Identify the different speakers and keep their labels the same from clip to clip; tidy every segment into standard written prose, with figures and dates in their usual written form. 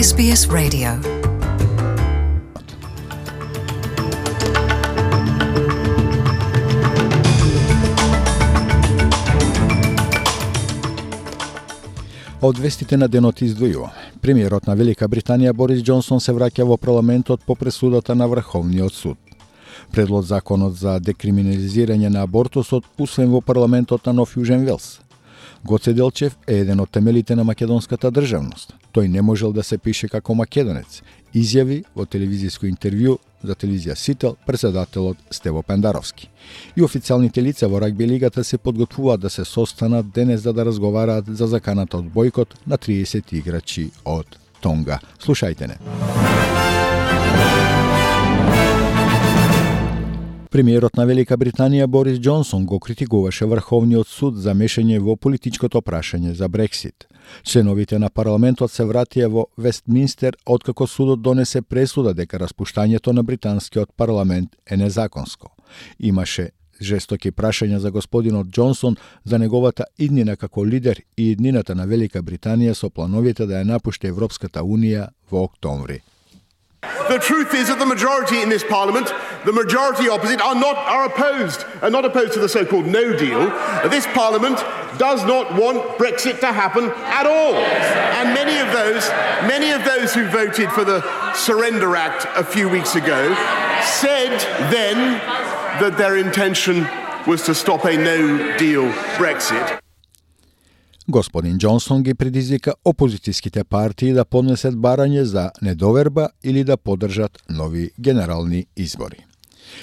Speaker 1: SBS Radio.
Speaker 2: Од вестите на денот издвојува. Премиерот на Велика Британија Борис Џонсон се враќа во парламентот по пресудата на Врховниот суд. Предлог законот за декриминализирање на абортусот усвоен во парламентот на Нов Јужен Велс. Гоце Делчев е еден од темелите на македонската државност. Тој не можел да се пише како македонец, изјави во телевизиско интервју за телевизија Сител председателот Стево Пендаровски. И официјалните лица во рагби лигата се подготвуваат да се состанат денес за да разговараат за заканата од бојкот на 30 играчи од Тонга. Слушајте не. Премиерот на Велика Британија Борис Џонсон го критикуваше Врховниот суд за мешање во политичкото прашање за Брексит. Членовите на парламентот се вратија во Вестминстер откако судот донесе пресуда дека распуштањето на британскиот парламент е незаконско. Имаше жестоки прашања за господинот Џонсон за неговата иднина како лидер и иднината на Велика Британија со плановите да ја напушти Европската Унија во октомври.
Speaker 3: The truth is that the majority in this parliament, the majority opposite, are opposed to the so-called no deal. This parliament does not want Brexit to happen at all. And many of those who voted for the Surrender Act a few weeks ago said then that their intention was to stop a no deal Brexit.
Speaker 2: Господин Џонсон ги предизвика опозицијските партии да поднесат барање за недоверба или да поддржат нови генерални избори.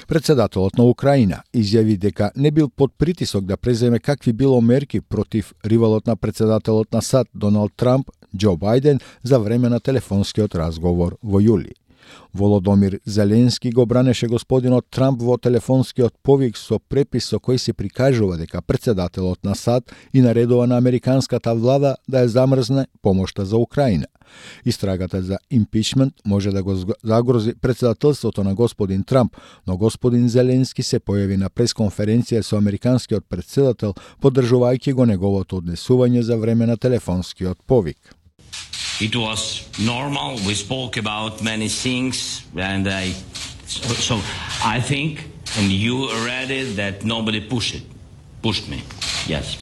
Speaker 2: Председателот на Украина изјави дека не бил под притисок да преземе какви било мерки против ривалот на председателот на САД Доналд Трамп, Џо Бајден, за време на телефонскиот разговор во јули. Володомир Зеленски го бранеше господинот Трамп во телефонскиот повик со препис со кој се прикажува дека председателот на САД и наредува на американската влада да ја замрзне помошта за Украина. Истрагата за импичмент може да го загрози председателството на господин Трамп, но господин Зеленски се појави на пресконференција со американскиот председател, поддржувајќи го неговото однесување за време на телефонскиот повик.
Speaker 4: It was normal. We spoke about many things, and so I think, and you read it, that nobody pushed me. Yes.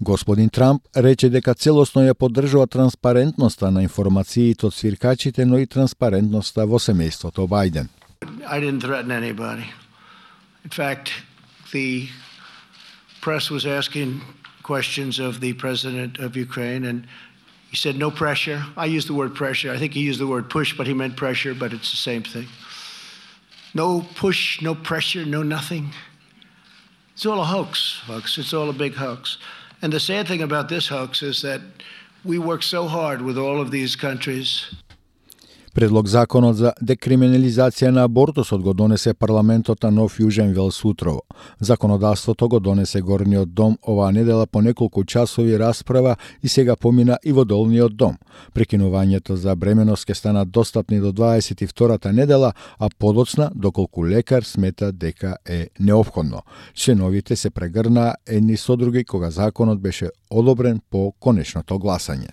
Speaker 2: Господин Трамп рече дека целосно ја поддржува транспарентноста на информациите од свиркачите, но и транспарентноста во семејството Бајден.
Speaker 5: I didn't threaten anybody. In fact, the press was asking questions of the president of Ukraine, and he said no pressure. I used the word pressure. I think he used the word push, but he meant pressure, but it's the same thing. No push, no pressure, no nothing. It's all a hoax, folks. It's all a big hoax. And the sad thing about this hoax is that we work so hard with all of these countries.
Speaker 2: Предлог законот за декриминализација на абортусот го донесе парламентот на Нов Јужен Велс утрово. Законодавството го донесе Горниот дом оваа недела по неколку часови расправа и сега помина и во Долниот дом. Прекинувањето за бременост ќе станат достапни до 22-та недела, а подоцна доколку лекар смета дека е неопходно. Членовите се прегрнаа едни со други кога законот беше одобрен по конечното гласање.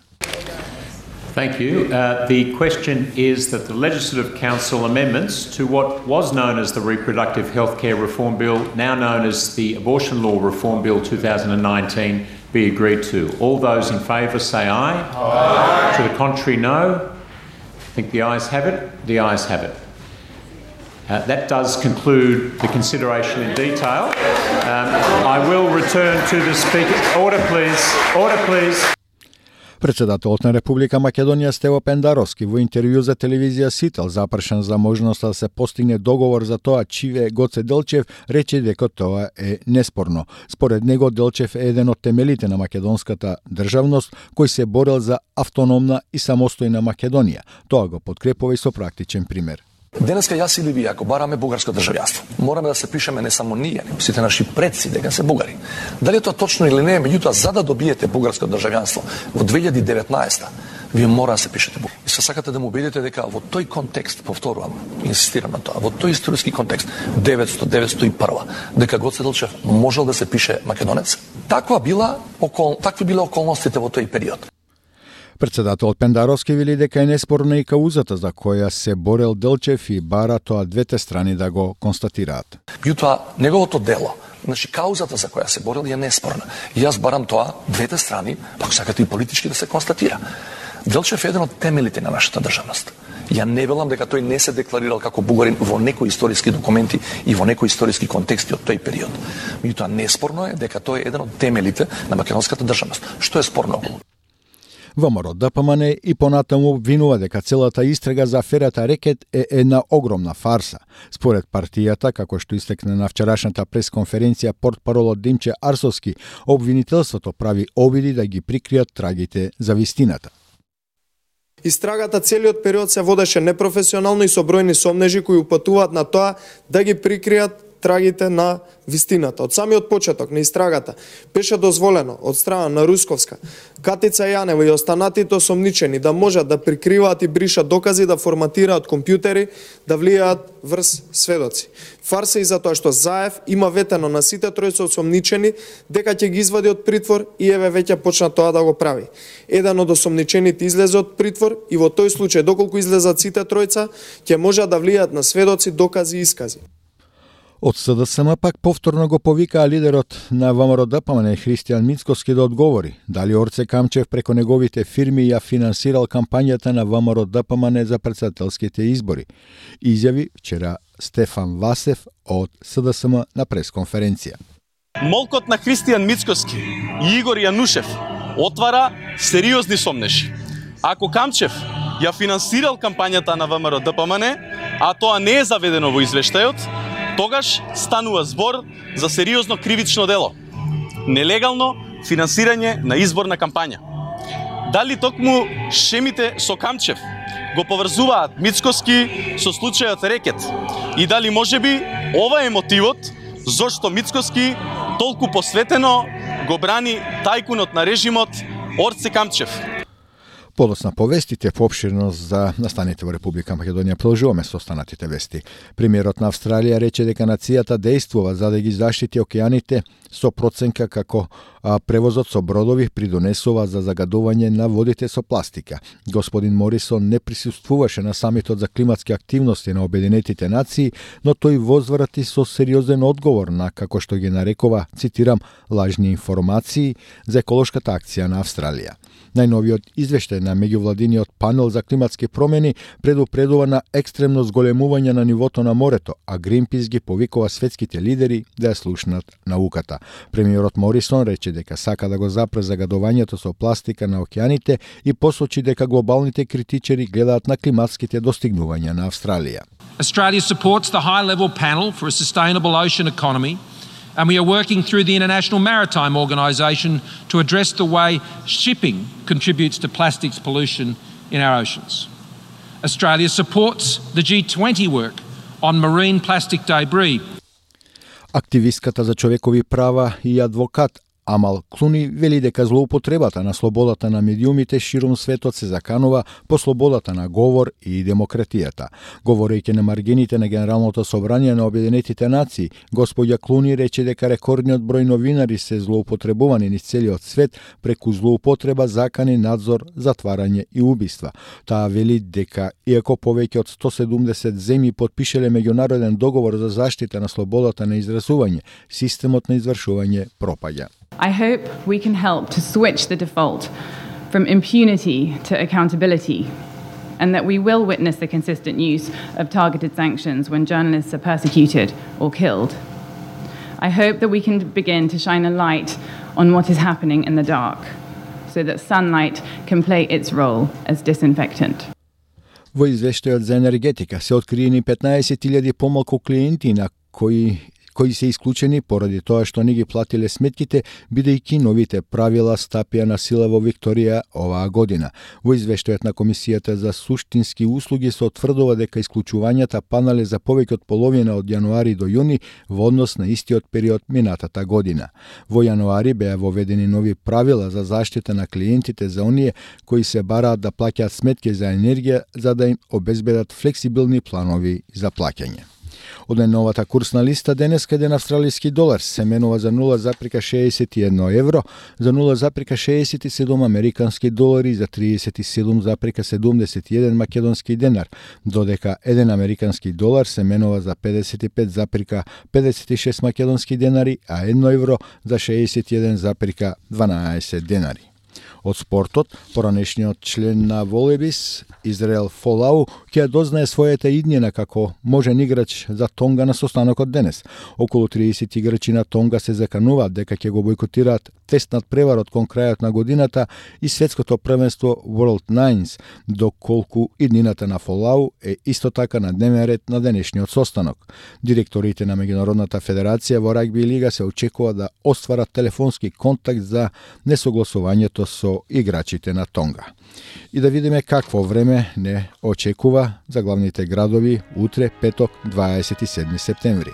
Speaker 6: Thank you. The question is that the Legislative Council amendments to what was known as the Reproductive Healthcare Reform Bill, now known as the Abortion Law Reform Bill 2019, be agreed to. All those in favour say aye. Aye. To the contrary, no. I think the ayes have it. The ayes have it. That does conclude the consideration in detail. I will return to the Speaker. Order, please. Order, please.
Speaker 2: Председателот на Република Македонија Стево Пендаровски во интервју за телевизија Сител, запрашан за можноста да се постигне договор за тоа чиве Гоце Делчев, рече дека тоа е неспорно. Според него Делчев е еден од темелите на македонската државност кој се борел за автономна и самостојна Македонија. Тоа го подкрепува и со практичен пример.
Speaker 7: Денеска јас или вие, ако бараме бугарско државјанство, мораме да се пишеме не само ние, него сите наши предци дека се бугари. Дали е тоа точно или не, меѓутоа за да добиете бугарско државјанство во 2019 вие мора да се пишете бугарски. И се сакате да му убедите дека во тој контекст, повторувам, инсистирам на тоа, во тој историски контекст 900-901, дека Гоце Делчев можел да се пише македонец, такви биле околностите во тој период.
Speaker 2: Председателот Пендаровски вели дека е неспорна и каузата за која се борел Делчев и бара тоа двете страни да го констатираат.
Speaker 7: Меѓутоа, неговото дело, каузата за која се борел е неспорна. И јас барам тоа двете страни, ако сакате и политички да се констатира. Делчев е еден од темелите на нашата државност. Ја не велам дека тој не се декларирал како бугарин во некои историски документи и во некои историски контексти од тој период. Меѓутоа, неспорно е дека тој е еден од темелите на македонската државност. Што е спорно околу?
Speaker 2: ВМРО ДПМН и понатаму обвинува дека целата истрага за аферата Рекет е една огромна фарса. Според партијата, како што истекна на вчерашната пресконференција портпаролот Димче Арсовски, обвинителството прави обиди да ги прикријат трагите за вистината.
Speaker 1: Истрагата целиот период се водеше непрофесионално и со бројни сомнежи кои упатуваат на тоа да ги прикријат трагите на вистината. Од самиот почеток на истрагата беше дозволено од страна на Русковска, Катица Јанева и останатите осомничени да можат да прикриваат и бришат докази, да форматираат компјутери, да влијаат врз сведоци. Фарса и затоа што Заев има ветено на сите тројца осомничени дека ќе ги извади од притвор и еве веќе почна тоа да го прави. Еден од осомничените излезе од притвор и во тој случај доколку излезат сите тројца ќе можат да влијаат на сведоци, докази и искази.
Speaker 2: Од СДСМ пак повторно го повикаа лидерот на ВМРО ДПМН Христијан Мицкоски да одговори дали Орце Камчев преко неговите фирми ја финансирал кампањата на ВМРО ДПМН за председателските избори. Изјави вчера Стефан Васев од СДСМ на пресконференција.
Speaker 8: Молкот на Христијан Мицкоски и Игор Јанушев отвара сериозни сомнежи. Ако Камчев ја финансирал кампањата на ВМРО ДПМН, а тоа не е заведено во извештајот, тогаш станува збор за сериозно кривично дело. Нелегално финансирање на изборна кампања. Дали токму шемите со Камчев го поврзуваат Мицкоски со случајот Рекет? И дали можеби ова е мотивот зошто Мицкоски толку посветено го брани тајкунот на режимот Орце Камчев?
Speaker 2: Подоцна повестите по обширност за настаните во Република Македонија. Продолжуваме со останатите вести. Премиерот на Австралија рече дека нацијата действува за да ги заштити океаните со проценка како превозот со бродови придонесува за загадување на водите со пластика. Господин Морисон не присуствуваше на самитот за климатски активности на Обединетите нации, но тој возврати со сериозен одговор на, како што ги нарекува, цитирам, лажни информации за еколошката акција на Австралија. Најновиот извештај на меѓувладиниот панел за климатски промени предупредува на екстремно зголемување на нивото на морето, а Гринпис ги повикува светските лидери да ја слушнат науката. Премиерот Морисон рече дека сака да го запре загадувањето со пластика на океаните и посочи дека глобалните критичари гледаат на климатските достигнувања на Австралија.
Speaker 9: Australia supports the high-level panel for a sustainable ocean economy, and we are working through the International Maritime Organisation to address the way shipping contributes to plastics pollution in our oceans. Australia supports the G20 work on marine plastic debris.
Speaker 2: Активистката за човекови права и адвокат Амал Клуни вели дека злоупотребата на слободата на медиумите широм светот се заканува по слободата на говор и демократијата. Говорејќи на маргините на Генералното собрание на Обединетите нации, господја Клуни рече дека рекордниот број новинари се злоупотребувани низ целиот свет преку злоупотреба, закани, надзор, затварање и убиства. Таа вели дека иако повеќе од 170 земји потпишале меѓународен договор за заштита на слободата на изразување, системот на извршување пропаѓа.
Speaker 10: I hope we can help to switch the default from impunity to accountability, and that we will witness the consistent use of targeted sanctions when journalists are persecuted or killed. I hope that we can begin to shine a light on what is happening in the dark, so that sunlight can play its role as disinfectant.
Speaker 2: Во извештајот за енергетика се откриени 15.000 помалку клиенти на кои се исклучени поради тоа што не ги платиле сметките, бидејќи новите правила стапија на сила во Викторија оваа година. Во извештајот на Комисијата за суштински услуги се утврдува дека исклучувањата панале за повеќе од половина од јануари до јуни во однос на истиот период минатата година. Во јануари беа воведени нови правила за заштита на клиентите за оние кои се бараат да плаќаат сметки за енергија за да им обезбедат флексибилни планови за плаќање. Од најновата курсна листа денеска еден австралиски долар се менува за 0,61 евро, за 0,67 американски долари и за 37,71 македонски денар, додека еден американски долар се менува за 55,56 македонски денари, а 1 евро за 61,12 денари. Од спортот, поранешниот член на Волебис, Израел Фолау, ќе дознае својата иднина како можен играч за Тонга на состанокот денес. Околу 30 играчи на Тонга се закануваат дека ќе го бойкотираат тестнат преварот кон крајот на годината и светското првенство World Nines, доколку иднината на Фолау е исто така на дневен ред на денешниот состанок. Директорите на Меѓународната федерација во рагби лига се очекува да остварат телефонски контакт за несогласувањето со играчите на Тонга. И да видиме какво време не очекува за главните градови утре, петок, 27 септември.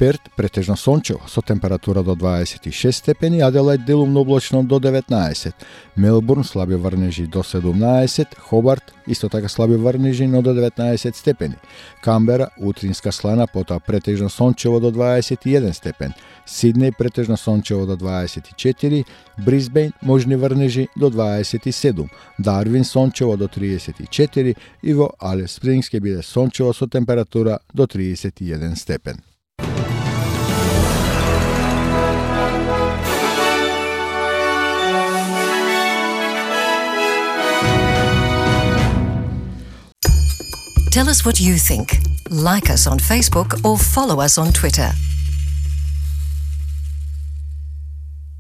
Speaker 2: Перт претежно сончево со температура до 26 степени, Аделајд делумно облачно до 19, Мелбурн слаби врнежи до 17, Хобарт исто така слаби врнежи но до 19 степени, Камбера утринска слана, потоа претежно сончево до 21 степен, Сиднеј претежно сончево до 24, Брисбејн можни врнежи до 27, Дарвин сончево до 34 и во Алис Спрингс ќе биде сончево со температура до 31 степен.
Speaker 11: Tell us what you think. Like us on Facebook or follow us on Twitter.